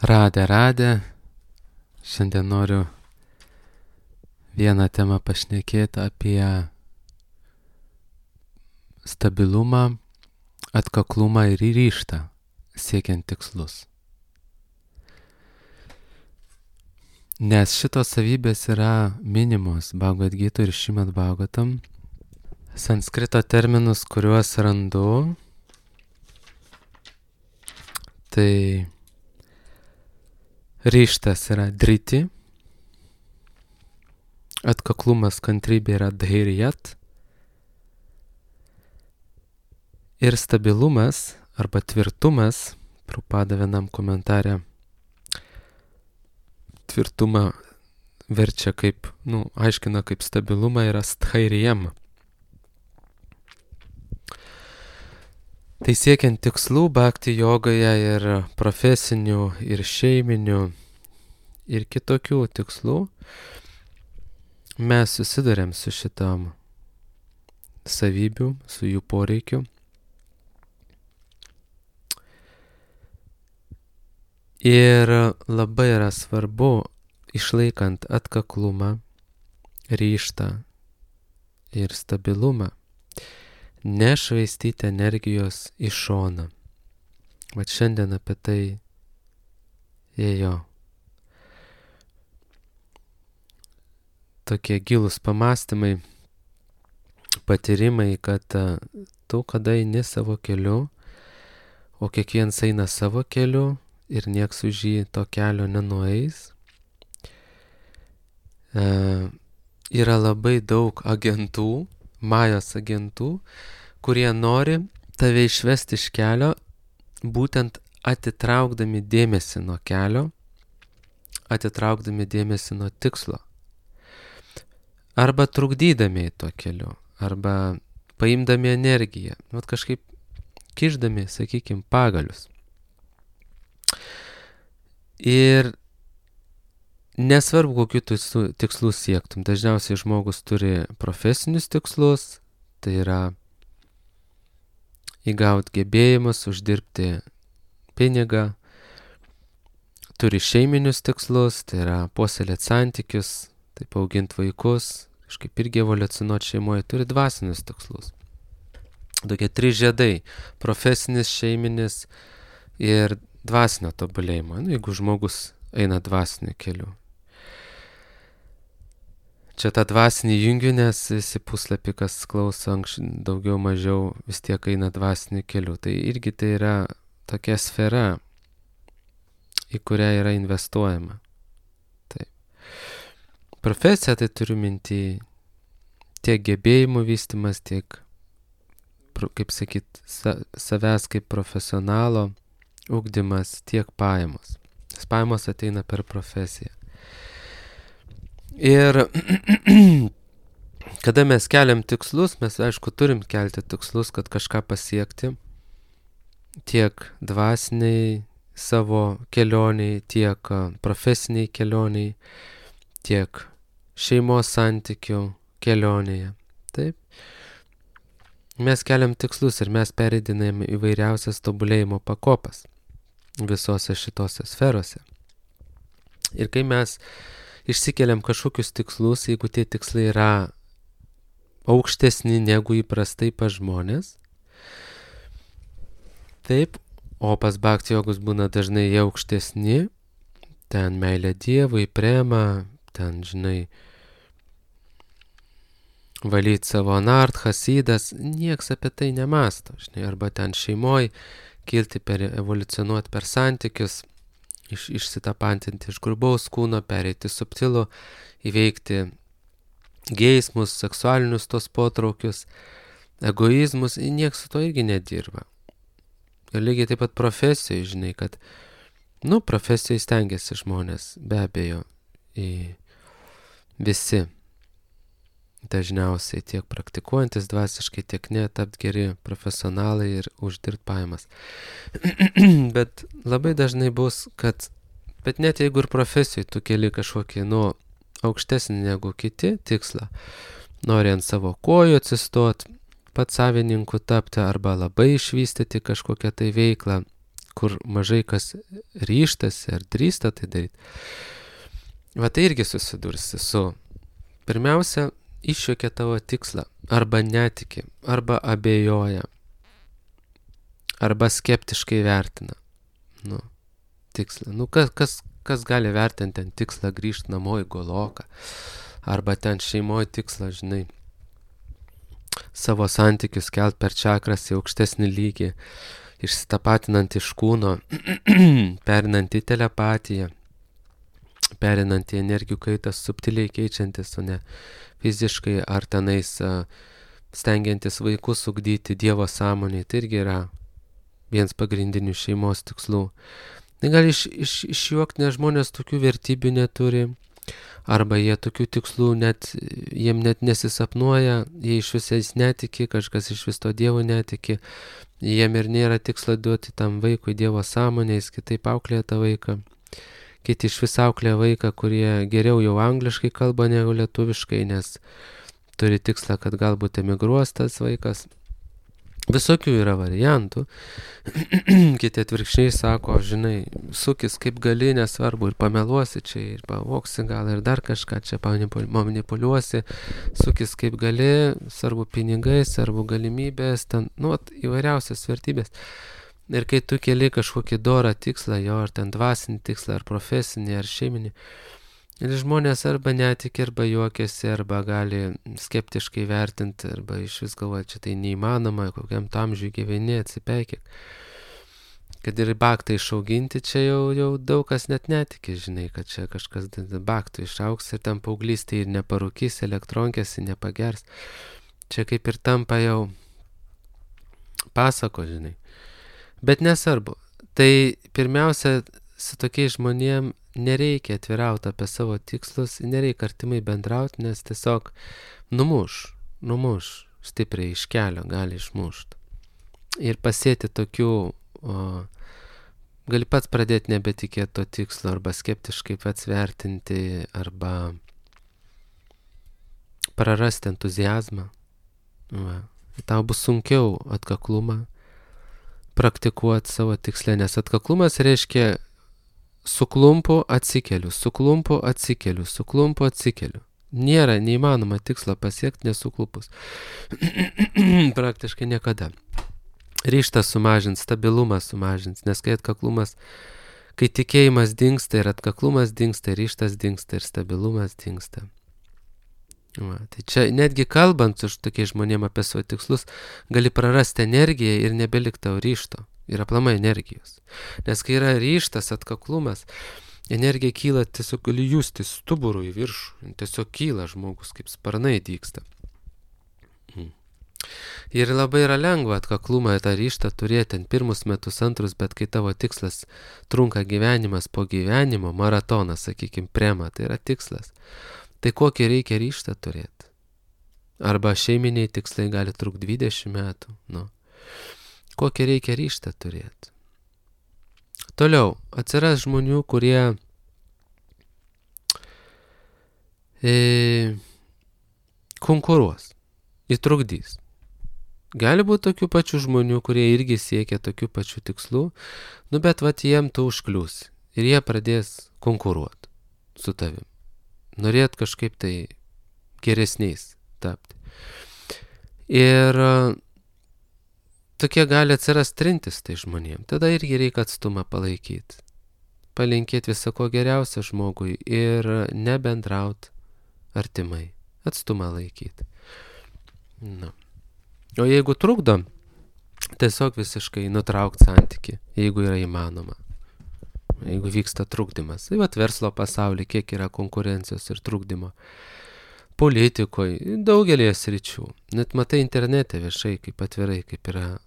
Radę. Šiandien noriu vieną temą pašnekėti apie stabilumą, atkaklumą ir ryžtą siekiant tikslus. Nes šitos savybės yra minimos Bhagavad Gita ir Šrimad Bhagavatam. Sanskrito terminus, kuriuos randu, tai ryžtas yra driti, atkaklumas, kantrybė yra dhairyat ir stabilumas arba tvirtumas, Prabhupada vienam komentare tvirtumą verčia kaip, aiškina kaip stabilumą yra sthairyam. Tai siekiant tikslų bhakti jogoje ir profesinių, ir šeiminių, ir kitokių tikslų, mes susiduriam su šitam savybių, su jų poreikiu. Ir labai yra svarbu, išlaikant atkaklumą, ryžtą ir stabilumą, nešvaistyti energijos į šoną. Vat šiandien apie tai ėjo tokie gilūs pamastymai, patyrimai, kad tu kada eini savo keliu, o kiekvienas eina savo keliu ir nieks už jį to kelio nenueis. Yra labai daug agentų, majos agentų, kurie nori tave išvesti iš kelio, būtent atitraukdami dėmesį nuo kelio, atitraukdami dėmesį nuo tikslo. Arba trukdydami tuo keliu, arba paimdami energiją, kažkaip kišdami, sakykime, pagalius. Ir nesvarbu, kokių tikslų siektum. Dažniausiai žmogus turi profesinius tikslus, tai yra įgauti gebėjimus, uždirbti pinigą. Turi šeiminius tikslus, tai yra puoselėti santykius, taip auginti vaikus, kažkaip irgi evoliucionuoti šeimoje. Turi dvasinius tikslus. Tokie 3 žiedai - profesinis, šeiminis ir dvasinio tobulėjimo. Jeigu žmogus eina dvasiniu keliu. Čia tą dvasinį jungiu, nes visi puslapį, kas klauso daugiau mažiau, vis tiek eina dvasiniu keliu. Tai irgi tai yra tokia sfera, į kurią yra investuojama. Taip. Profesija tai turiu minty tiek gebėjimų vystymas, tiek, kaip sakyt, savęs kaip profesionalo ugdymas, tiek pajamos. Pajamos ateina per profesiją. Ir kada mes keliam tikslus, mes aišku turim kelti tikslus, kad kažką pasiekti, tiek dvasiniai savo kelioniai, tiek profesiniai kelioniai, tiek šeimos santykių kelionėje. Taip. Mes keliam tikslus ir mes pereidinėjam įvairiausias tobulėjimo pakopas visose šitose sferose. Ir kai mes išsikeliam kažkokius tikslus, jeigu tie tikslai yra aukštesni negu įprastai pas žmonės, taip, o pas bhakti jogus būna dažnai jie aukštesni, ten meilė Dievui, prema, ten, valyti savo anarthas, įdas, nieks apie tai nemasto, arba ten šeimoj, kilti evoliucionuoti per santykius, išsitapantinti iš grubaus kūno, pereiti subtilų, įveikti geismus, seksualinius tos potraukius, egoizmus, nieks su to irgi nedirba. Ir lygiai taip pat profesijai, kad, profesijai stengiasi žmonės, be abejo, visi. Dažniausiai tiek praktikuojantis dvasiškai, tiek ne, tapti geri profesionalai ir uždirbti pajamas. Bet labai dažnai bus, bet net jeigu ir profesijai tu keli kažkokį, aukštesnį negu kiti tikslą, nori ant savo kojų atsistot, pats savininku tapti arba labai išvystyti kažkokią tai veiklą, kur mažai kas ryštasi ar drįsta tai daryti. Va tai irgi susidursi su, pirmiausia, išjuokia tavo tikslą, arba netiki, arba abejoja, arba skeptiškai vertina, tikslą. Kas gali vertinti ten tikslą grįžti namo į Goloką, arba ten šeimoje tikslą, žinai, savo santykius kelt per čakras į aukštesnį lygį, išsitapatinant iš kūno, perinant į telepatiją, perinant į energijų kaitą, subtiliai keičiantis, o ne fiziškai, ar tenais stengiantis vaikus ugdyti Dievo sąmonėje, tai irgi yra vienas pagrindinių šeimos tikslų. Tai gali išjuokti, nes žmonės tokių vertybių neturi, arba jie tokių tikslų jiem net nesisapnuoja, jie iš visais netiki, kažkas iš vis to Dievo netiki, jiem ir nėra tikslo duoti tam vaikui Dievo sąmonę, jis kitaip auklėja tą vaiką. Kiti iš vis auklėja vaiką, kurie geriau jau angliškai kalba negu lietuviškai, nes turi tikslą, kad galbūt emigruos tas vaikas. Visokių yra variantų. Kiti atvirkščiai sako, žinai, sukis kaip gali, nesvarbu, ir pameluosi čia, ir pavoksi gal, ir dar kažką čia manipuliuosi, sukis kaip gali, svarbu pinigai, svarbu galimybės, ten, įvairiausias vertybės. Ir kai tu keli kažkokį dorą tikslą, jo, ar ten dvasinį tikslą, ar profesinį, ar šeiminį, ir žmonės arba netiki, arba juokiasi, arba gali skeptiškai vertinti, arba iš vis galvoja, čia tai neįmanoma, kokiam amžiui gyveni, atsipeikėk. Kad ir baktą išauginti, čia jau daug kas net netiki, žinai, kad čia kažkas baktų išaugs ir ten paauglystėje ir neparūkys, elektronkės ir nepagers. Čia kaip ir tampa jau pasako, žinai. Bet nesvarbu. Tai pirmiausia, su tokiais žmonėm nereikia atvirauti apie savo tikslus, nereikia artimai bendrauti, nes tiesiog numuš stipriai iš kelio, gali išmušti. Ir pasėti tokių, gali pats pradėti nebetikėti to tikslo, arba skeptiškai pats vertinti, arba prarasti entuziazmą. Tau bus sunkiau atkaklumą praktikuoti savo tikslę, nes atkaklumas reiškia suklumpu atsikeliu. Nėra neįmanoma tikslo pasiekti nesuklupus. Praktiškai niekada. Ryžtas sumažins, stabilumas sumažins, nes kai tikėjimas dingsta ir atkaklumas dingsta, ryžtas dingsta ir stabilumas dingsta. Tai čia netgi kalbant su tokiais žmonėm apie savo tikslus, gali prarasti energiją ir nebelikti tau ryžto. Ir aplamai energijos. Nes kai yra ryžtas, atkaklumas, energija kyla, tiesiog gali justi stuburų į viršų. Tiesiog kyla žmogus, kaip sparnai dygsta. Ir labai yra lengva atkaklumą ir tą ryžtą turėti ant pirmus metus, antrus, bet kai tavo tikslas trunka gyvenimas po gyvenimo, maratonas, sakykim, prema, tai yra tikslas. Tai kokį reikia ryžtą turėti? Arba šeiminiai tikslai gali trukti 20 metų. Kokį reikia ryžtą turėti? Toliau, atsiras žmonių, kurie konkuruos, įtrukdys. Gali būti tokių pačių žmonių, kurie irgi siekia tokių pačių tikslų, bet jiem tu užkliūsi ir jie pradės konkuruoti su tavim. Norėt kažkaip tai geresniais tapti. Ir tokie gali atsirast trintis tai žmonėm. Tada irgi reikia atstumą palaikyti. Palinkėti visako geriausio žmogui ir nebendraut artimai. Atstumą laikyti. O jeigu trukdo, tiesiog visiškai nutraukti santykį, jeigu yra įmanoma. Jeigu vyksta trukdymas. Tai verslo pasaulyje kiek yra konkurencijos ir trukdymo. Politikoje, daugelėje sričių. Net matai internete viešai, kaip atvirai, kaip yra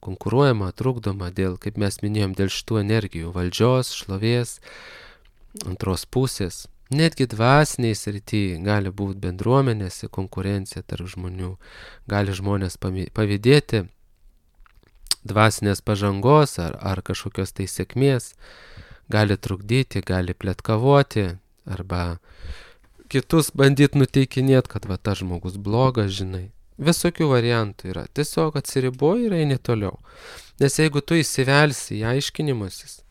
konkuruojama, trukdoma dėl, kaip mes minėjom, dėl šitų energijų, valdžios, šlovės, antros pusės. Netgi dvasiniai srityje gali būti bendruomenėse konkurencija tarp žmonių. Gali žmonės pavydėti dvasinės pažangos ar kažkokios tai sėkmės. Gali trukdyti, gali pletkavoti, arba kitus bandyti nuteikinėti, kad tas žmogus blogas, žinai. Visokių variantų yra. Tiesiog atsiriboji ir eini toliau. Nes jeigu tu įsivelsi į aiškinimusis,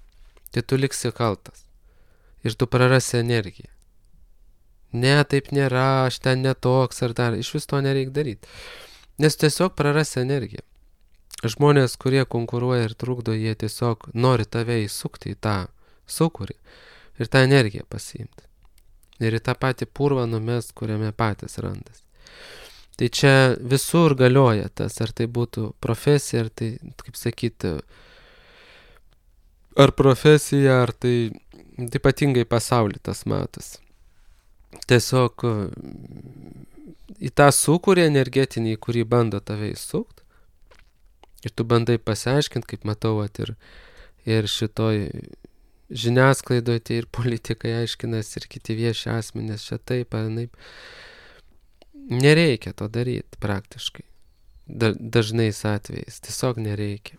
tai tu liksi kaltas. Ir tu prarasi energiją. Ne, taip nėra, aš ten netoks ar dar. Iš vis to nereikia daryti. Nes tiesiog prarasi energiją. Žmonės, kurie konkuruoja ir trukdo, jie tiesiog nori tave įsukti į tą sūkurį ir tą energiją pasiimti. Ir į tą patį purvą numest, kuriame patys randas. Tai čia visur galioja tas, ar tai būtų profesija, ar tai, kaip sakyti, ar profesija, ar tai ypatingai pasaulį tas matas. Tiesiog į tą sūkurį energetinį, kurį bando tave įsukti, ir tu bandai pasiaiškinti, kaip matau, ir šitoj žiniasklaidoje tai ir politikai aiškinas, ir kiti vieši asmenys čia taip, ar naip. Nereikia to daryti praktiškai. Dažnais atvejais. Tiesiog nereikia.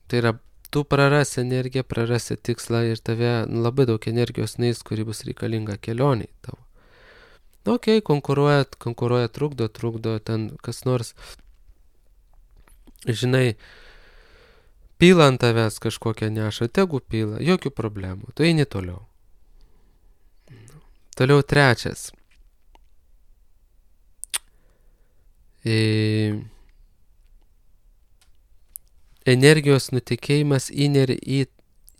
Tai yra, tu prarasi energiją, prarasi tikslą ir tave labai daug energijos neis, kuri bus reikalinga kelioniai tavo. Okei, konkuruoja, trukdo, ten kas nors, žinai, pila ant tavęs kažkokią neša, tegu pila, jokių problemų, tu eini toliau. Toliau trečias. Energijos nutekėjimas įneria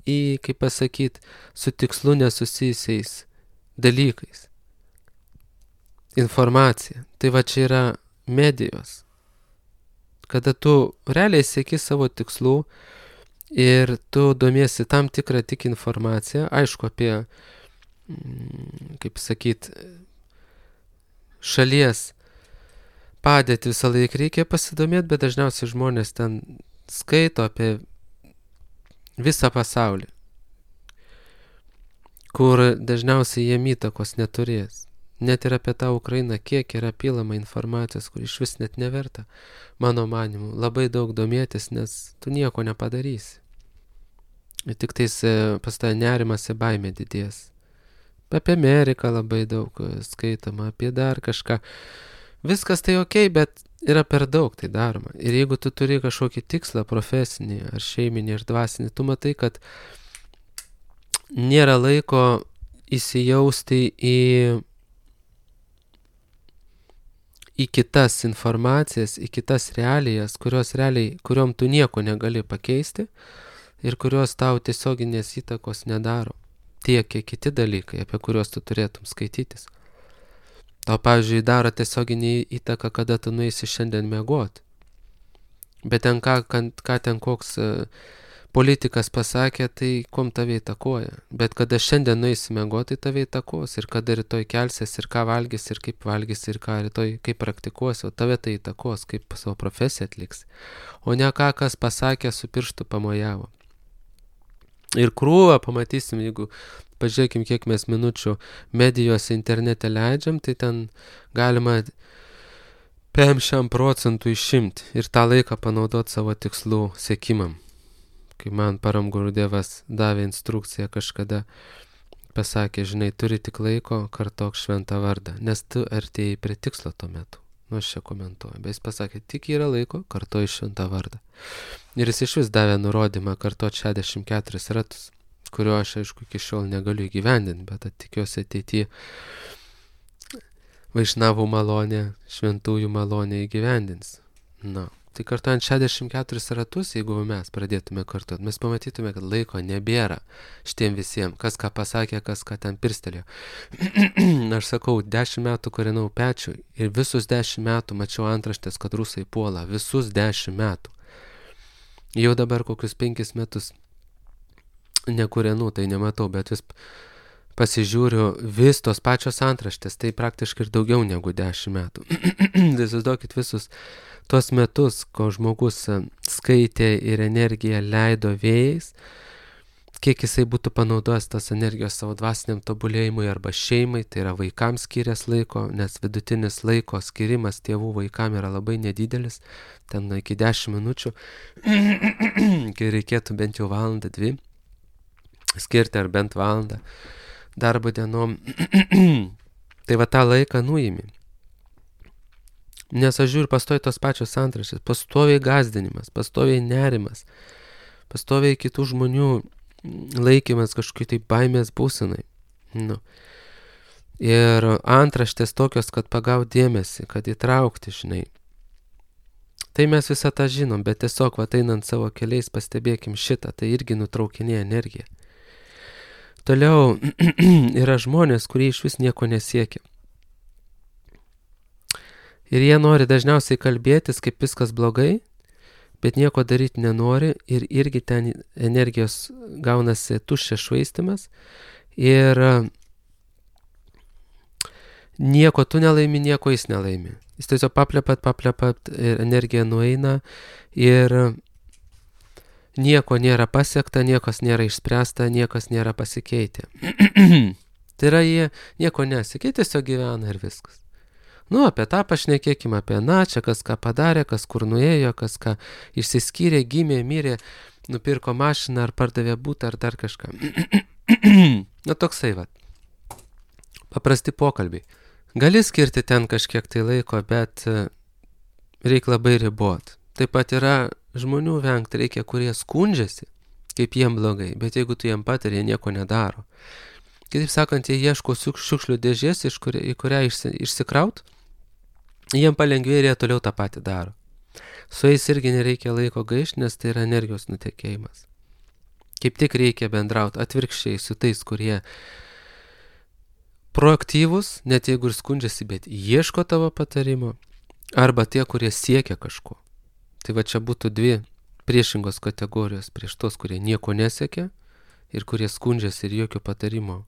į, kaip pasakyti, su tikslu nesusijusiais dalykais. Informacija. Tai va čia yra medijos. Kada tu realiai sieki savo tikslų ir tu domiesi tam tikrą tik informaciją, aišku, apie, kaip sakyti, šalies padėtį visą laiką reikia pasidomėti, bet dažniausiai žmonės ten skaito apie visą pasaulį, kur dažniausiai jie įtakos neturės. Net ir apie tą Ukrainą, kiek yra pilama informacijos, kur iš vis net neverta, mano manimu, labai daug domėtis, nes tu nieko nepadarysi. Ir tik tais pas tą nerimas ir baimė didės. Apie Ameriką labai daug skaitama, apie dar kažką. Viskas tai okei, bet yra per daug tai daroma. Ir jeigu tu turi kažkokį tikslą profesinį, ar šeiminį, ar dvasinį, tu matai, kad nėra laiko įsijausti į kitas informacijas, į kitas realijas, kuriom tu nieko negali pakeisti ir kurios tau tiesioginės įtakos nedaro. Tiek, kiek kiti dalykai, apie kuriuos tu turėtum skaitytis. Tau, pavyzdžiui, daro tiesioginį įtaką, kada tu nueisi šiandien miegoti. Bet ten ką ten koks politikas pasakė, tai kom tave įtakoja. Bet kada šiandien nueisi miegoti, tai tave įtakos. Ir kada rytoj kelsies, ir ką valgys, ir kaip valgys, ir ką rytoj kaip praktikuosi, o tave tai įtakos, kaip savo profesiją atliks. O ne ką, kas pasakė, su pirštu pamojavo. Ir krūvą pamatysim, jeigu pažiūrėkim, kiek mes minučių medijose internete leidžiam, tai ten galima 50% išimti ir tą laiką panaudoti savo tikslų siekimam. Kai man Param Gurudevas davė instrukciją kažkada, pasakė, žinai, turi tik laiko, kartok šventą vardą, nes tu artėjai prie tikslo tuo metu. Nu, aš čia komentuoju, bet jis pasakė, tik yra laiko, kartoji šventą vardą. Ir jis iš vis davė nurodymą kartoti 64 ratus, kurio aš, aišku, iki šiol negaliu įgyvendinti, bet tikiuosi ateityje Vaišnavų malonė, šventųjų malonė įgyvendins. Na, tai kartuojant 64 ratus, jeigu mes pradėtume kartuoti, mes pamatytume, kad laiko nebėra šitiem visiems, kas ką pasakė, kas ką ten pirstelėjo. Aš sakau, 10 metų kūrenau pečių ir visus 10 metų mačiau antraštės, kad rusai puola, visus 10 metų. Jau dabar kokius 5 metus nekūrenų, tai nematau, bet vis pasižiūriu, vis tos pačios antraštės, tai praktiškai ir daugiau negu 10 metų. Įsivaizduokit visus tuos metus, ko žmogus skaitė ir energiją leido vėjais, kiek jisai būtų panaudojęs tos energijos savo dvasiniam tobulėjimui arba šeimai, tai yra vaikams skyręs laiko, nes vidutinis laiko skirimas tėvų vaikam yra labai nedidelis, ten iki 10 minučių, kai reikėtų bent jau 1-2 skirti ar bent valandą darbo dienom. Tai va tą laiką nuimi. Nes aš žiūriu pastoviai tos pačios antraštės, pastoviai gąsdinimas, pastoviai nerimas, pastoviai kitų žmonių laikymas kažkokiai tai baimės būsenai. Nu. Ir antraštės tokios, kad pagaut dėmesį, kad įtraukti, žinai. Tai mes visą tą žinom, bet tiesiog einant savo keliais pastebėkim šitą, tai irgi nutraukinėja energiją. Toliau yra žmonės, kurie iš vis nieko nesiekia. Ir jie nori dažniausiai kalbėtis, kaip viskas blogai, bet nieko daryti nenori ir irgi ten energijos gaunasi tuščias švaistimas ir nieko tu nelaimi, nieko jis nelaimi. Jis tiesiog paplepat ir energija nueina ir nieko nėra pasiekta, niekas nėra išspręsta, niekas nėra pasikeitę. Tai yra jie nieko nesikeitė, tiesiog gyvena ir viskas. Nu, apie tą pašnekėkime, apie čia kas ką padarė, kas kur nuėjo, kas ką išsiskyrė, gimė, mirė, nupirko mašiną ar pardavė butą ar dar kažką. Nu, toksai va. Paprasti pokalbiai. Gali skirti ten kažkiek tai laiko, bet reikia labai ribot. Taip pat yra žmonių vengti reikia, kurie skundžiasi, kaip jiem blogai, bet jeigu tu jiem patari, jie nieko nedaro. Kitaip sakant, jie ieško šiukšlių dėžės, į kurią išsikraut, jiem palengvėja ir jie toliau tą patį daro. Su jais irgi nereikia laiko gaišti, nes tai yra energijos nutekėjimas. Kaip tik reikia bendrauti atvirkščiai su tais, kurie proaktyvus, net jeigu ir skundžiasi, bet ieško tavo patarimo, arba tie, kurie siekia kažko. Tai va čia būtų dvi priešingos kategorijos prieš tos, kurie nieko nesiekia ir kurie skundžiasi ir jokio patarimo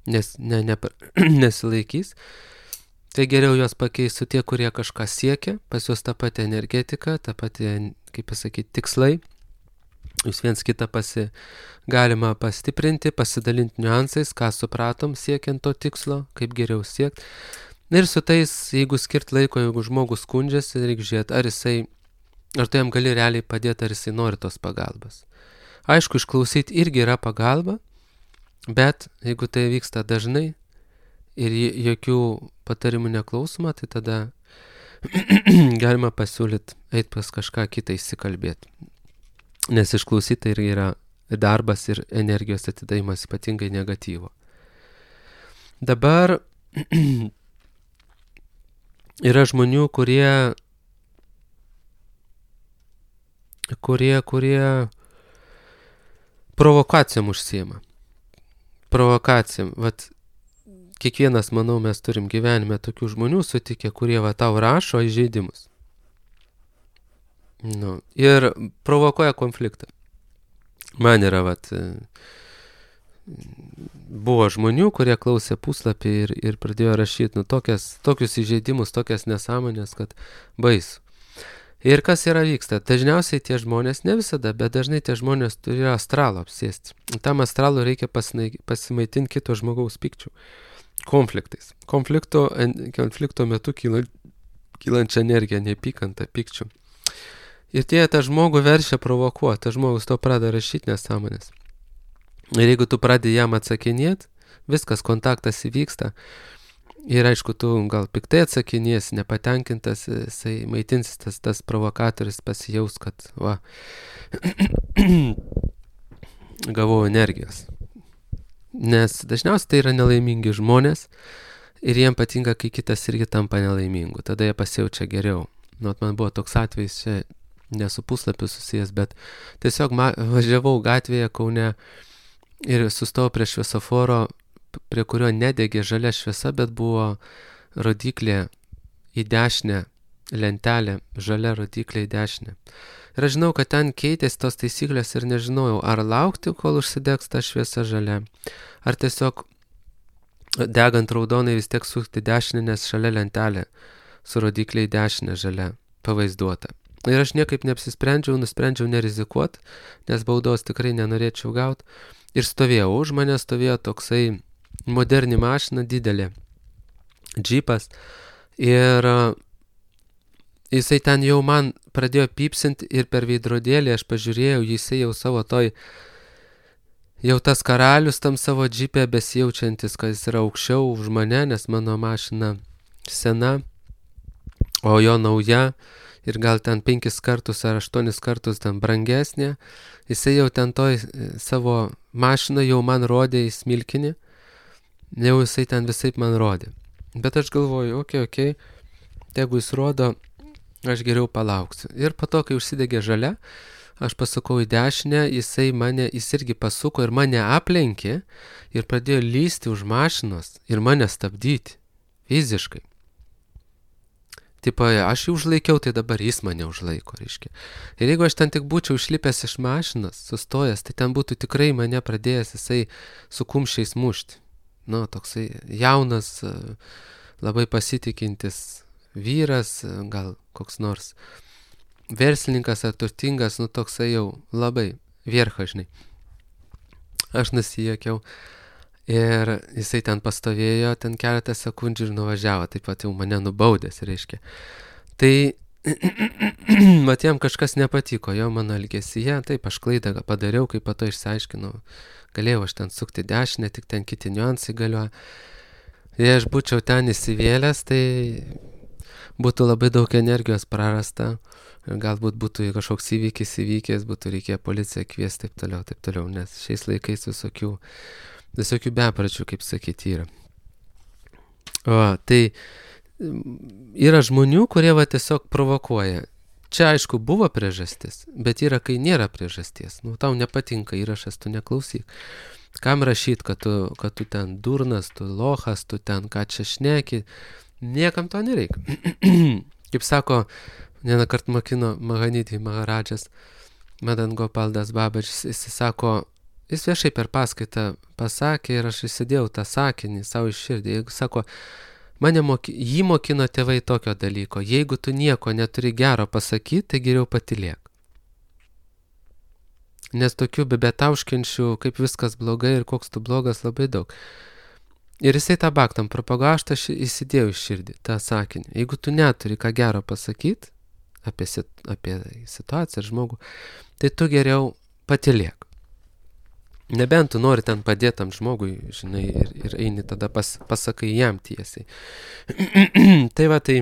nesilaikys. Tai geriau juos pakeisiu tie, kurie kažką siekia, pas juos tą patį energetiką, tą patį, kaip pasakyti, tikslai. Jūs viens kitą galima pastiprinti, pasidalinti niuansais, ką supratom siekiant to tikslo, kaip geriau siekti. Ir su tais, jeigu skirt laiko, jeigu žmogus skundžiasi, reikia žiūrėti, ar tu jam gali realiai padėti, ar jisai nori tos pagalbos. Aišku, išklausyti irgi yra pagalba, bet jeigu tai vyksta dažnai ir jokių patarimų neklausoma, tai tada galima pasiūlyti eiti pas kažką kitą įsikalbėti. Nes išklausyti irgi yra darbas ir energijos atidavimas ypatingai negatyvo. Dabar yra žmonių, kurie provokacijom užsiema. Provokacijom. Vat kiekvienas, manau, mes turim gyvenime tokių žmonių sutikę, kurie tau rašo įžeidimus. Nu, ir provokuoja konfliktą. Man yra, buvo žmonių, kurie klausė puslapį ir pradėjo rašyti tokius įžeidimus, tokias nesąmonės, kad baisu. Ir kas vyksta? Dažniausiai tie žmonės, ne visada, bet dažnai tie žmonės turi astralo apsėsti. Tam astralo reikia pasimaitinti kito žmogaus pykčių. Konfliktais. Konflikto metu kylančią energiją, neapykantą, pykčių. Ir tie tą žmogų verčia provokuoti, tas žmogus to pradeda rašyti nesąmonės. Ir jeigu tu pradedi jam atsakinėti, viskas, kontaktas įvyksta. Ir aišku, tu gal piktai atsakinės, nepatenkintas, jisai maitinsis tas provokatorius pasijaus, kad gavau energijos. Nes dažniausiai tai yra nelaimingi žmonės ir jiem patinka, kai kitas irgi tampa nelaimingu. Tada jie pasijaučia geriau. Man buvo toks atvejis, čia nesu puslapiu susijęs, bet tiesiog važiavau gatvėje Kaune ir sustojau prie šviesoforo, prie kurio nedegė žalia šviesa, bet buvo rodiklė į dešinę, lentelė, žalia rodiklė į dešinę. Ir aš žinau, kad ten keitėsi tos taisyklės ir nežinojau, ar laukti, kol užsidegs ta šviesa žalia, ar tiesiog degant raudonai vis tiek sukti dešinę, nes šalia lentelė su rodiklė į dešinę žalia pavaizduota. Ir aš niekaip nusprendžiau nerizikuoti, nes baudos tikrai nenorėčiau gauti. Ir stovėjau, už mane stovėjo toksai moderni mašina, didelė, džipas. Ir jisai ten jau man pradėjo pypsinti ir per veidrodėlį aš pažiūrėjau, jisai jau savo jau tas karalius tam savo džipė besijaučiantis, kad jis yra aukščiau už mane, nes mano mašina sena. o jo nauja ir gal ten 5 kartus ar 8 kartus ten brangesnė, jisai jau ten toj savo mašiną jau man rodė į smilkinį, jau jisai ten visaip man rodė. Bet aš galvoju, okei, jeigu jis rodo, aš geriau palauksiu. Ir po to, kai užsidegė žalia, aš pasukau į dešinę, jis irgi pasuko ir mane aplenkė ir pradėjo lysti už mašinos ir mane stabdyti fiziškai. Tipo, aš jį užlaikiau, tai dabar jis mane užlaiko, reiškia. Ir jeigu aš ten tik būčiau išlipęs iš mašinos, sustojęs, tai ten būtų tikrai mane pradėjęs jisai su kumščiais mušti. Nu, toksai jaunas, labai pasitikintis vyras, gal koks nors verslininkas ar turtingas, nu toksai jau labai vierchažnai. Aš nusijuokiau ir jisai ten pastovėjo, ten keletą sekundžių ir nuvažiavo, taip pat jau mane nubaudęs, reiškia. Tai mat jam kažkas nepatiko jo mano elgesyje, taip aš klaidą padariau, kai po to išsiaiškinau, galėjau aš ten sukti dešinę, tik ten kiti niuansai galioja. Jei aš būčiau ten įsivėlęs, tai būtų labai daug energijos prarasta ir galbūt būtų kažkoks įvykis, būtų reikėję policiją kviesti, taip toliau, nes šiais laikais visokių bepračių, kaip sakyti, yra. Tai yra žmonių, kurie tiesiog provokuoja. Čia aišku buvo priežastis, bet yra, kai nėra priežasties. Nu, tau nepatinka įrašas, tu neklausyk. Kam rašyt, kad tu ten durnas, tu lochas, tu ten ką čia šneki, niekam to nereikia. Kaip sako, vieną kartą mokino Mahanidhi Maharadžas, Madan Gopaldas Babažis, jis sako, jis viešai per paskaitą pasakė ir aš įsidėjau tą sakinį savo iš širdį. Jeigu sako, jį mokino tėvai tokio dalyko, jeigu tu nieko neturi gero pasakyti, tai geriau patylėk. Nes tokių bebetauškinčių, kaip viskas blogai ir koks tu blogas, labai daug. Ir jisai tą baktam propagavo, aš įsidėjau iš širdį tą sakinį. Jeigu tu neturi ką gero pasakyti apie situaciją ar žmogų, tai tu geriau patylėk. Nebent tu nori ten padėti tam žmogui, žinai, ir eini tada pasakai jam tiesiai. Tai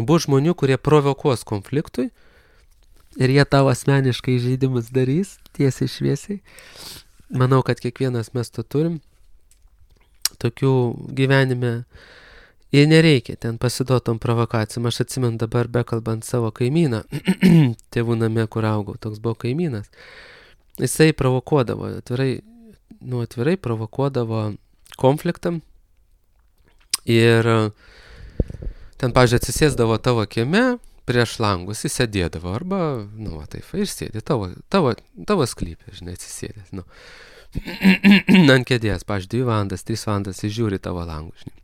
bus žmonių, kurie provokuos konfliktui ir jie tavo asmeniškai žaidimus darys tiesiai šviesiai. Manau, kad kiekvienas mes to turim. Tokių gyvenime ir nereikia ten pasiduotom provokacijom. Aš atsimenu dabar bekalbant savo kaimyną, tėvų name, kur augau, toks buvo kaimynas. Jisai provokuodavo, atvirai provokuodavo konfliktam ir ten, pavyzdžiui, atsisėsdavo tavo kieme prieš langus, jis sėdėdavo arba, taip, ir sėdė tavo sklypė, žinai, atsisėdęs, ant kėdės, pavyzdžiui, 2 valandas, 3 valandas jis žiūri tavo langų, žinai.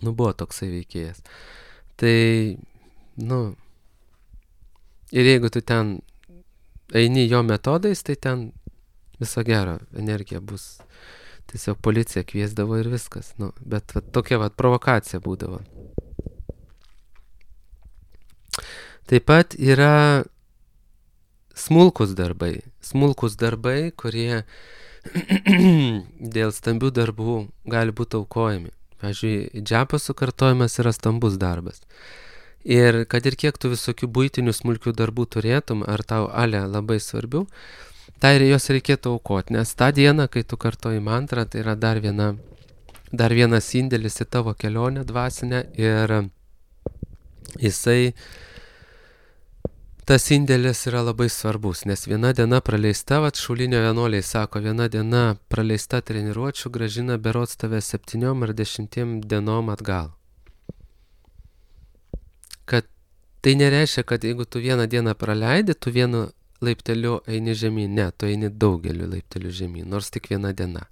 Buvo toksai veikėjas. Tai, ir jeigu tu ten eini jo metodais, tai ten viso gero energija bus. Tiesiog policija kviesdavo ir viskas. Bet tokia provokacija būdavo. Taip pat yra smulkus darbai, kurie dėl stambių darbų gali būti aukojami. Pavyzdžiui, džiapo sukartojimas yra stambus darbas. Ir kad ir kiek tu visokių buitinių smulkių darbų turėtum, ar tau labai svarbių, tai jos reikėtų aukoti, nes tą dieną, kai tu kartoji mantrą, tai yra dar vienas indėlis į tavo kelionę dvasinę ir tas indėlis yra labai svarbus, nes viena diena praleista, šaulinio vienuoliai sako, viena diena praleista treniruočių gražina berods tave 7 ar 10 dienom atgal. Kad tai nereiškia, kad jeigu tu vieną dieną praleidi, tu vienu laipteliu eini žemyn. Ne, tu eini daugeliu laiptelių žemyn, nors tik viena diena.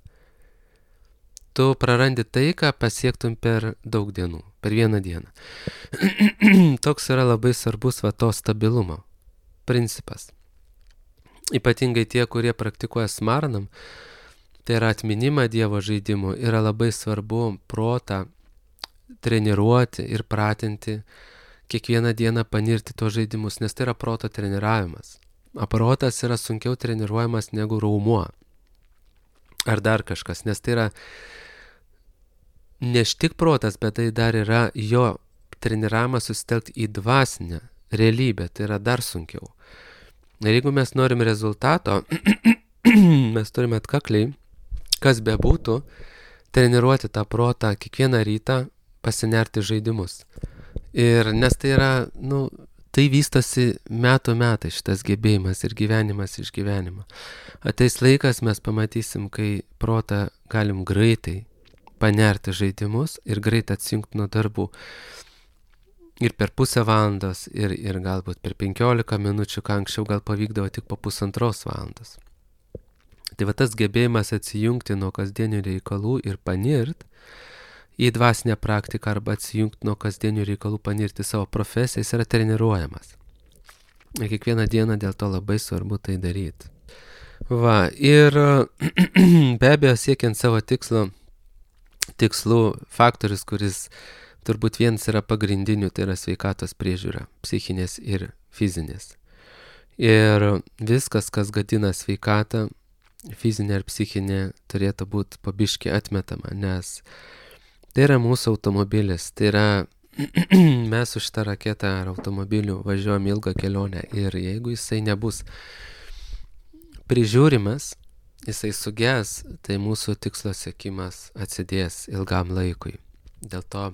Tu prarandi tai, ką pasiektum per daug dienų, per vieną dieną. Toks yra labai svarbus to stabilumo principas. Ypatingai tie, kurie praktikuoja smarnam, tai yra atminimą Dievo žaidimų, yra labai svarbu protą treniruoti ir pratinti, kiekvieną dieną panirti tos žaidimus, nes tai yra proto treniravimas. O protas yra sunkiau treniruojamas negu raumuo. Ar dar kažkas, nes tai yra ne tik protas, bet tai dar yra jo treniravimą susitelkti į dvasinę realybę, tai yra dar sunkiau. Ir jeigu mes norim rezultato, mes turime atkakliai, kas bebūtų, treniruoti tą protą kiekvieną rytą, pasinerti žaidimus. Ir nes tai yra, tai vystosi metų metai šitas gebėjimas ir gyvenimas iš gyvenimo. Ateis laikas, mes pamatysim, kai protą galim greitai panerti žaidimus ir greit atsijungti nuo darbų. Ir per pusę valandos, ir galbūt per 15 minučių, ką anksčiau gal pavykdavo tik po 1,5 valandos. Tai va tas gebėjimas atsijungti nuo kasdienių reikalų ir panirt į dvasinę praktiką arba atsijungti nuo kasdienių reikalų, panirti savo profesiją, jis yra treniruojamas. Ir kiekvieną dieną dėl to labai svarbu tai daryti. Va, ir be abejo siekiant savo tikslų faktorius, kuris turbūt vienas yra pagrindinių, tai yra sveikatos priežiūra, psichinės ir fizinės. Ir viskas, kas gadina sveikatą, fizinė ir psichinė, turėtų būti po biškį atmetama, nes tai yra mūsų automobilis, tai yra mes su šitą raketą ar automobiliu važiuojam ilgą kelionę ir jeigu jisai nebus prižiūrimas, jisai suges, tai mūsų tikslo siekimas atsidės ilgam laikui. Dėl to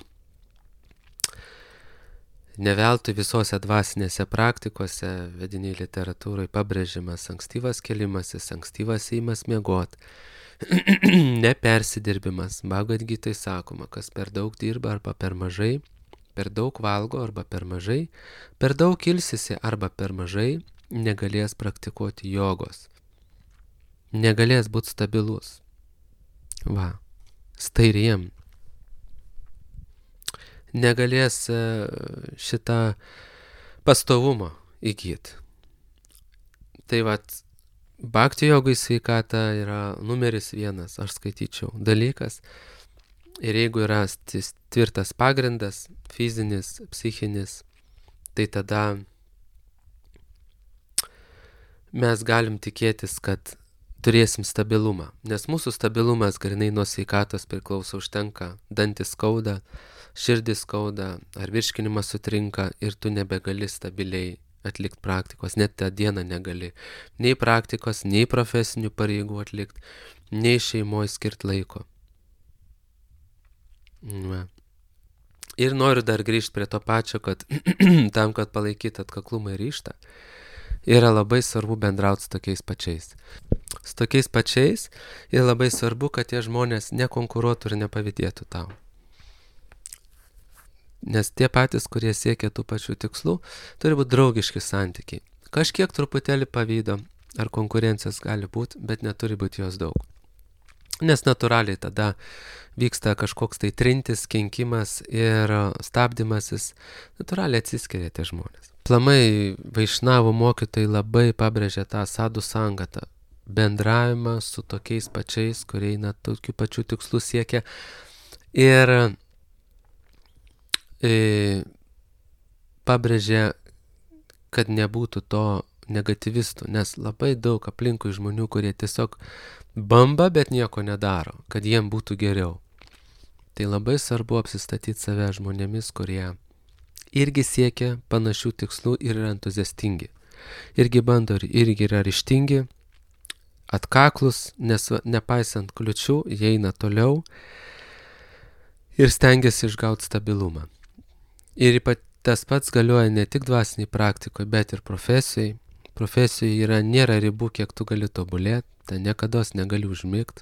ne veltui visose dvasinėse praktikose, vediniai literatūrai pabrėžimas ankstyvas kėlimasis, ankstyvas ėjimas miegot, nepersidirbimas. Bhagavad Gitai sakoma, kas per daug dirba arba per mažai, per daug valgo arba per mažai, per daug ilsisi arba per mažai, negalės praktikuoti jogos. Negalės būti stabilus. Va, stairiem. Negalės šitą pastovumą įgyti. Tai vat, bhakti jogai sveikata yra numeris 1, aš skaityčiau, dalykas. Ir jeigu yra tvirtas pagrindas, fizinis, psichinis, tai tada mes galim tikėtis, kad turėsim stabilumą. Nes mūsų stabilumas grinai nuo sveikatos priklauso, užtenka, dantis skauda, širdis skauda, ar virškinimas sutrinka ir tu nebegali stabiliai atlikti praktikos, net tą dieną negali. Nei praktikos, nei profesinių pareigų atlikti, nei šeimoje skirti laiko. Va. Ir noriu dar grįžti prie to pačio, kad tam, kad palaikyti atkaklumą ir ryžtą, yra labai svarbu bendrauti su tokiais pačiais. Su tokiais pačiais ir labai svarbu, kad tie žmonės nekonkuruotų ir nepavydėtų tau. Nes tie patys, kurie siekia tų pačių tikslų, turi būti draugiški santykiai. Kažkiek truputėlį pavydo ar konkurencijos gali būti, bet neturi būti jos daug. Nes natūraliai tada vyksta kažkoks tai trintis, kenkimas ir stabdymasis, natūraliai atsiskiria tie žmonės. Plamai vaišnavų mokytojai labai pabrėžia tą sadų sangatą, bendravimą su tokiais pačiais, kurie tokių pačių tikslų siekia ir pabrėžia, kad nebūtų to negativistų, nes labai daug aplinkui žmonių, kurie tiesiog bamba, bet nieko nedaro, kad jiem būtų geriau. Tai labai svarbu apsistatyti save žmonėmis, kurie irgi siekia panašių tikslų ir yra entuziastingi. Irgi bando, irgi yra ryžtingi, atkaklus, nes nepaisant kliučių, jie eina toliau ir stengiasi išgauti stabilumą. Ir tas pats galioja ne tik dvasiniai praktikoje, bet ir profesijai. Profesijoje nėra ribų, kiek tu gali tobulėti, ten niekados negali užmigti.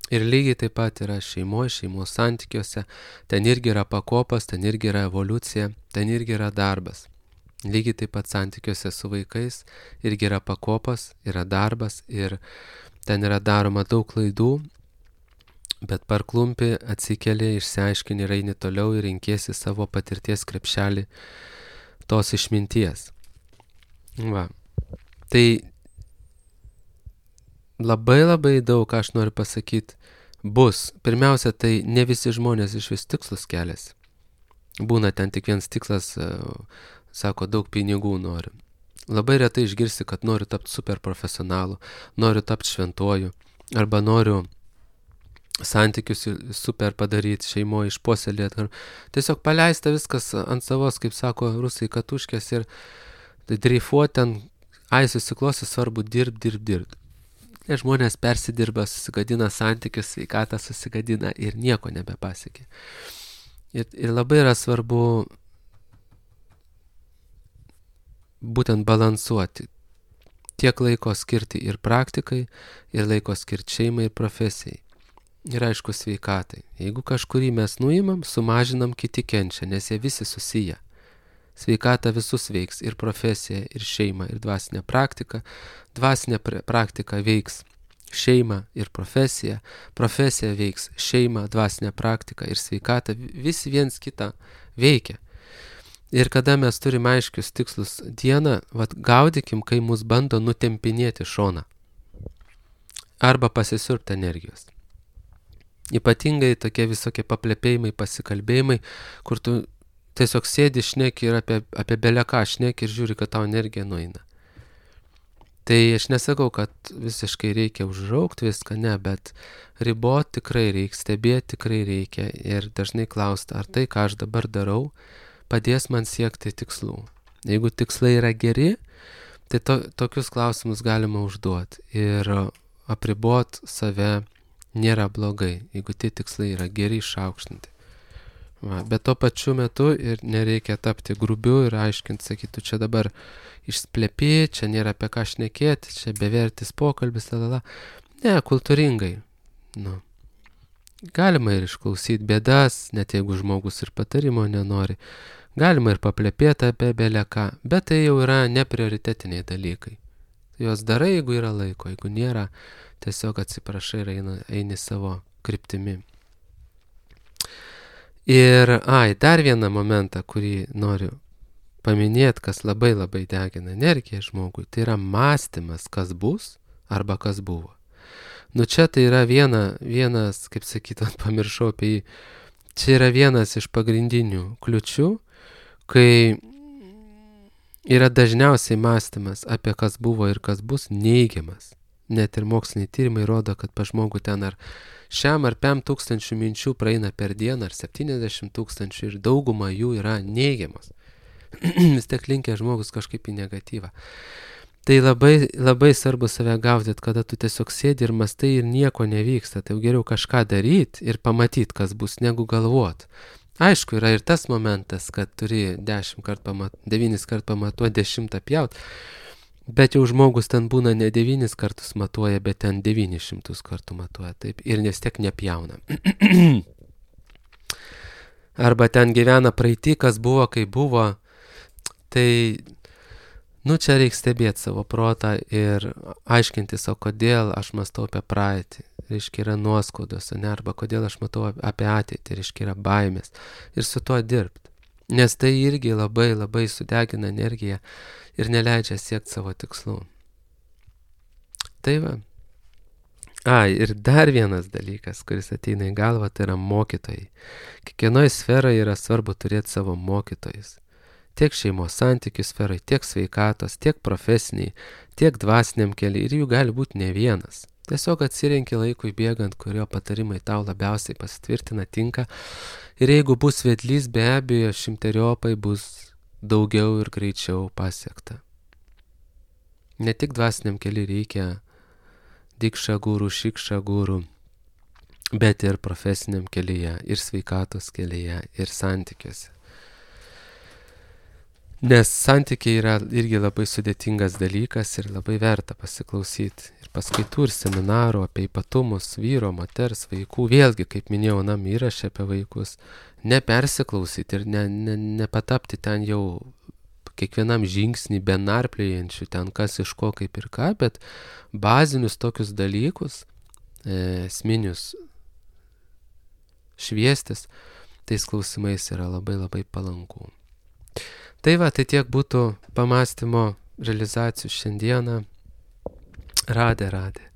Ir lygiai taip pat yra šeimos santykiuose, ten irgi yra pakopas, ten irgi yra evoliucija, ten irgi yra darbas. Lygiai taip pat santykiuose su vaikais irgi yra pakopas, yra darbas ir ten yra daroma daug klaidų, bet parklumpi, atsikeli, išsiaiškini ir eini toliau ir renkiesi savo patirties krepšelį tos išminties. Va. Tai labai daug, ką aš noriu pasakyti, bus. Pirmiausia, tai ne visi žmonės iš vis tikslus keliasi. Būna ten tik vienas tikslas, sako, daug pinigų noriu. Labai retai išgirsi, kad noriu tapti super profesionalu, noriu tapti šventuoju, arba noriu santykius super padaryti, šeimoje išpuoselėti. Tiesiog paleista viskas ant savos, kaip sako rusai, katuškės ir dreifuoti ten, susiklosi, svarbu dirbt. Ir žmonės persidirba, susigadina santykius, sveikatą susigadina ir nieko nebepasiekė. Ir labai yra svarbu būtent balansuoti. Tiek laiko skirti ir praktikai, ir laiko skirti šeimai ir profesijai. Ir aišku sveikatai. Jeigu kažkurį mes nuimam, sumažinam, kiti kenčia, nes jie visi susiję. Sveikata visus veiks, ir profesija, ir šeima, ir dvasinė praktika. Dvasinė praktika veiks šeimą ir profesiją. Profesija veiks šeimą, dvasinę praktiką ir sveikatą. Visi viens kitą veikia. Ir kada mes turime aiškius tikslus dieną, gaudykim, kai mus bando nutempinėti šoną. Arba pasisiurbti energijos. Ypatingai tokie visokie paplepėjimai, pasikalbėjimai, kur tu tiesiog sėdi, šneki ir apie beleką šneki ir žiūri, kad tau energija nueina. Tai aš nesakau, kad visiškai reikia užraukti viską, ne, bet riboti tikrai reikia, stebėti tikrai reikia ir dažnai klausti, ar tai, ką aš dabar darau, padės man siekti tikslų. Jeigu tikslai yra geri, tai tokius klausimus galima užduoti ir apribot save nėra blogai, jeigu tie tikslai yra geri išaukštinti. Bet tuo pačiu metu ir nereikia tapti grubiu ir aiškinti, sakytų, čia dabar išsplepė, čia nėra apie ką šnekėti, čia bevertis pokalbis, Ne, kultūringai. Galima ir išklausyti bėdas, net jeigu žmogus ir patarimo nenori. Galima ir paplepėti apie beleką, bet tai jau yra neprioritetiniai dalykai. Jos darai, jeigu yra laiko, jeigu nėra, tiesiog atsiprašai ir eini savo kryptimi. Ir, dar vieną momentą, kurį noriu paminėti, kas labai labai degina energiją žmogui, tai yra mąstymas, kas bus arba kas buvo. Čia tai yra vienas, kaip sakyt, pamiršau apie jį, čia yra vienas iš pagrindinių kliučių, kai yra dažniausiai mąstymas apie kas buvo ir kas bus neigiamas. Net ir moksliniai tyrimai rodo, kad pa žmogų ten ar 5,000 minčių praeina per dieną, ar 70,000 ir dauguma jų yra neigiamos. Vis tiek linkia žmogus kažkaip į negatyvą. Tai labai, labai svarbu save gaudyti, kada tu tiesiog sėdi ir mastai ir nieko nevyksta. Tai jau geriau kažką daryti ir pamatyti, kas bus, negu galvoti. Aišku, yra ir tas momentas, kad turi 9 kart pamatuoti, 10 pjaut, bet jau žmogus ten būna ne 9 kartus matuoja, bet ten 900 kartų matuoja, taip, ir vis tiek nepjauna. Arba ten gyvena praeitį, kas buvo, kai buvo, tai, čia reikia stebėti savo protą ir aiškintis, o kodėl aš mąstau apie praeitį. Reiškia yra nuoskaudos, arba kodėl aš matau apie ateitį, reiškia yra baimės. Ir su tuo dirbti. Nes tai irgi labai labai sudegina energiją ir neleidžia siekti savo tikslų. Tai va. Ir dar vienas dalykas, kuris ateina į galvą, tai yra mokytojai. Kiekvienoje sferoje yra svarbu turėti savo mokytojus. Tiek šeimos santykių sferai, tiek sveikatos, tiek profesiniai, tiek dvasiniam keliai ir jų gali būti ne vienas. Tiesiog atsirenki laikui bėgant, kurio patarimai tau labiausiai pasitvirtina, tinka. Ir jeigu bus vedlys, be abejo, 100-eriopai bus daugiau ir greičiau pasiekta. Ne tik dvasiniam keliui reikia dikša gurų, šikša gurų, bet ir profesiniam kelyje, ir sveikatos kelyje, ir santykiuose. Nes santykiai yra irgi labai sudėtingas dalykas ir labai verta pasiklausyti. Ir paskaitų, ir seminarų apie ypatumus vyro, moters, vaikų. Vėlgi, kaip minėjau, įrašė apie vaikus. Nepersiklausyti ir nepatapti ten jau kiekvienam žingsnį benarplėjančių ten kas iš ko kaip ir ką, bet bazinius tokius dalykus, esminius šviestis, tais klausimais yra labai labai palanku. Tai va, tai tiek būtų pamąstymo realizacijų šiandieną. Radė.